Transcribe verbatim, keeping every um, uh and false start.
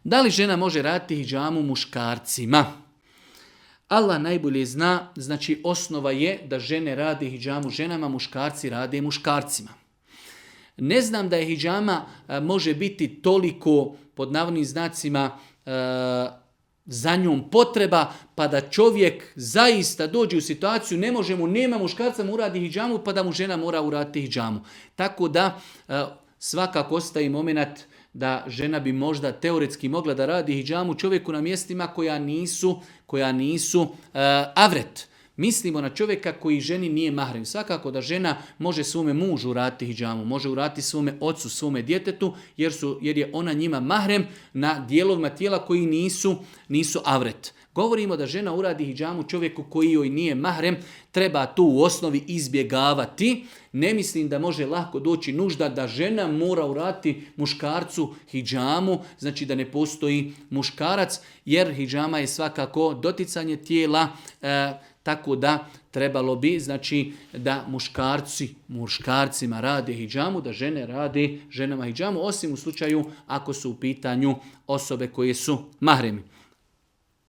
Da li žena može raditi hidžamu muškarcima? Allah najbolje zna, znači osnova je da žene rade hidžamu ženama, muškarci rade muškarcima. Ne znam da je hidžama može biti toliko, pod navodnim znacima, za njom potreba, pa da čovjek zaista dođe u situaciju, ne može mu, nema muškarca mu uradi hidžamu, pa da mu žena mora uraditi hidžamu. Tako da svakako ostaje moment da žena bi možda teoretski mogla da radi hidžamu čovjeku na mjestima koja nisu, koja nisu uh, avret. Mislimo na čovjeka koji ženi nije mahrem. Svakako da žena može svome mužu uraditi hidžamu, može uraditi svome ocu, svome djetetu, jer, su, jer je ona njima mahrem na dijelovima tijela koji nisu, nisu avret. Govorimo da žena uradi hidžamu čovjeku koji joj nije mahrem, treba tu u osnovi izbjegavati. Ne mislim da može lako doći nužda da žena mora uraditi muškarcu hidžamu, znači da ne postoji muškarac, jer hidžama je svakako doticanje tijela, e, tako da trebalo bi, znači, da muškarci, muškarcima rade hidžamu, da žene rade ženama hidžamu, osim u slučaju ako su u pitanju osobe koje su mahremi.